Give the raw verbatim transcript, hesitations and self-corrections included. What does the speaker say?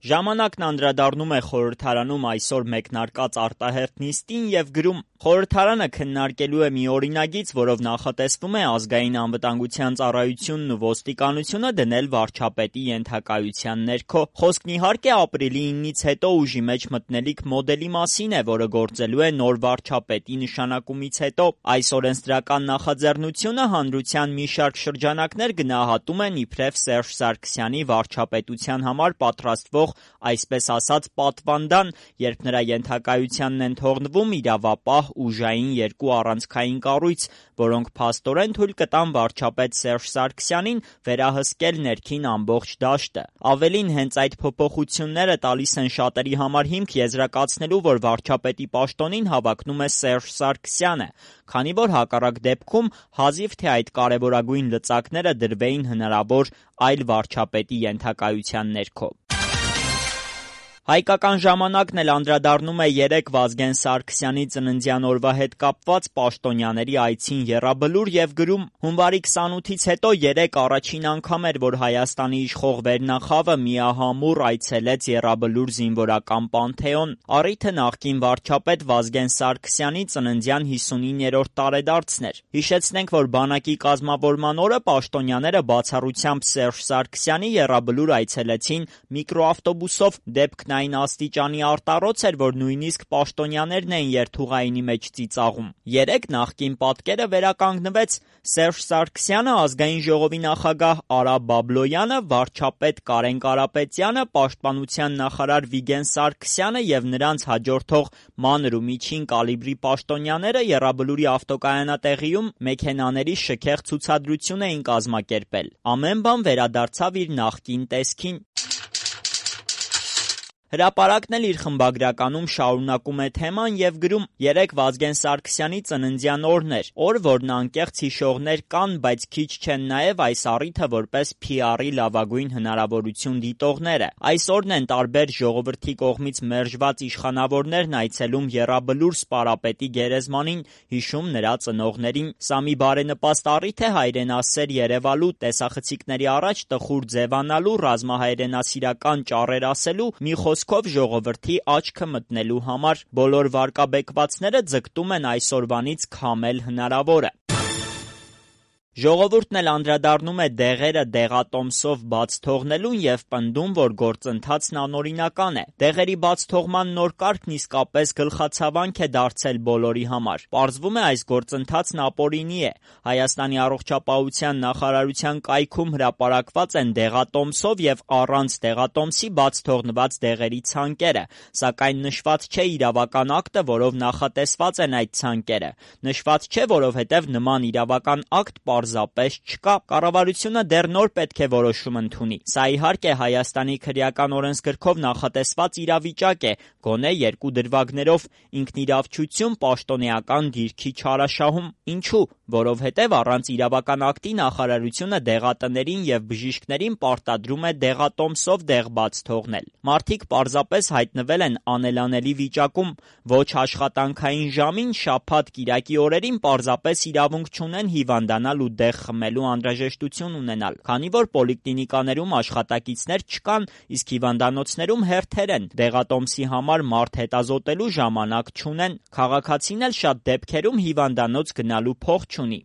Ժամանակն անդրադառնում է խորհրդարանում այսօր մեկնարկած արտահերթ նիստին և գրում. խորհրդարանը քննարկելու է մի օրինագիծ, որով նախատեսվում է Ազգային անվտանգության ծառայությունն ու ոստիկանությունը դնել վարչապետի ենթակայության ներքո։ Խոսքն իհարկե ապրիլի իննից հետո ուժի մեջ մտնելիք մոդելի մասին է, որը գործելու է նոր վարչապետի նշանակումից հետո։ Այս օրենսդրական նախաձեռնությունը հանրության մի շարք շրջանակներ գնահատում են իբրև Սերժ Սարգսյանի վարչապետության համար պատրաստվող այսպես ասած պատվանդան, երբ նրա ենթակայությանն են թողնվում իրավապահ ուժային երկու առանցքային կառույց, որոնք փաստորեն թույլ կտան վարչապետ Սերժ Սարգսյանին վերահսկել ներքին ամբողջ դաշտը։ Ավելին, հենց այդ փոփոխությունները տալիս են շատերի համար հիմք եզրակացնելու, որ վարչապետի պաշտոնին հավակնում է Սերժ Սարգսյանը, քանի որ հակառակ դեպքում հազիվ թե այդ կարևորագույն լծակները դրվեին հնարավոր այլ վարչապետի ենթակայության ներքո։ Հայկական ժամանակն էլ անդրադառնում է երեկ Վազգեն Սարգսյանի ծննդյան օրվա հետ կապված պաշտոնյաների այցին Եռաբլուր և գրում. հունվարի քսանութից հետո երեկ առաջին անգամ էր, որ Հայաստանի իշխող վերնախավը միահամուռ այցելեց Եռաբլուր զինվորական պանթեոն։ Առիթը նախկին վարչապետ Վազգեն Սարգսյանի ծննդյան հիսունիններորդ տարեդարձն էր։ Հիշեցնենք, որ բանակի կազմավորման օրը պաշտոնյաները բացառությամբ Սերժ Սարգսյանի Եռաբլուր այցելեցին միկրոավտոբուսով, դեպքն այն աստիճանի արտառոց էր, որ նույնիսկ պաշտոնյաներն էին երթուղայինի մեջ ծիծաղում։ Երեկ նախկին պատկերը վերականգնվեց. Սերժ Սարգսյանը, Ազգային ժողովի նախագահ Արա Բաբլոյանը, վարչապետ Կարեն Կարապետյանը, պաշտպանության նախարար Վիգեն Սարգսյանը և նրանց հաջորդող մանր ու միջին կալիբրի պաշտոնյաները Եռաբլուրի ավտոկայանատեղիում մեքենաների շքեղ ցուցադրություն էին կազմակերպել։ Ամեն բան վերադարձավ իր նախկին տեսքին։ Հրապարակն էլ իր խմբագրականում շարունակում է թեման և գրում. երեկ Վազգեն Սարգսյանի ծննդյան օրն էր, օր, որն անկեղծ հիշողներ կան, բայց քիչ չեն նաև այս առիթը որպես փի արի լավագույն հնարավորություն դիտողները։ Այս օրն են տարբեր ժողովրդի կողմից մերժված իշխանավորներն այցելում Եռաբլուր սպարապետի գերեզմանին, հիշում նրա ծնողներին։ Սա մի բարենպաստ առիթ է հայրենասեր երևալու, տեսախցիկների առաջ տխուր ձևանալու, ռազմահայրենասիրական ճառեր ասելու, մի խոսքով ժողովրդի աչքը մտնելու համար։ Բոլոր վարկաբեկվածները ձգտում են այսօրվանից քամել հնարավորը։ Ժողովուրդն էլ անդրադառնում է դեղերը դեղատոմսով բաց թողնելուն և պնդում, որ գործընթացն անօրինական է։ Դեղերի բաց թողման նոր կարգն իսկապես գլխացավանք է դարձել բոլորի համար։ Պարզվում է, այս գործընթացն ապօրինի է։ Հայաստանի առողջապահության նախարարության կայքում հրապարակված են դեղատոմսով և առանց դեղատոմսի բաց թողնված դեղերի ցանկերը, սակայն նշված չէ իրավական ակտը, որով նախատեսված են այդ ցանկերը։ Նշված չէ, որովհետև նման իրավական ակտ պարզապես չկա։ Կառավարությունը դեռ նոր պետք է որոշում ընդունի։ Սա իհարկե Հայաստանի քրեական օրենսգրքով նախատեսված իրավիճակ է, գոնե երկու դրվագներով՝ ինքնիրավչություն պաշտոնեական դիրքի չարաշահում։ Ինչու՞։ Որովհետև առանց իրավական ակտի նախարարությունը դեղատներին և բժիշկներին պարտադրում է դեղատոմսով դեղ բաց թողնել։ Մարդիկ պարզապես հայտնվել են անելանելի վիճակում։ Ոչ աշխատանքային ժամին, շաբաթ-կիրակի օրերին պարզապես իրավունք չունեն հիվանդանալ ու դեղ խմելու անհրաժեշտություն ունենալ, քանի որ պոլիկլինիկաներում աշխատակիցներ չկան, իսկ հիվանդանոցներում հերթեր են, դեղատոմսի համար մարդ հետազոտելու ժամանակ չունեն։ Քաղաքացին էլ շատ դեպքերում հիվանդանոց գնալու փող չունի։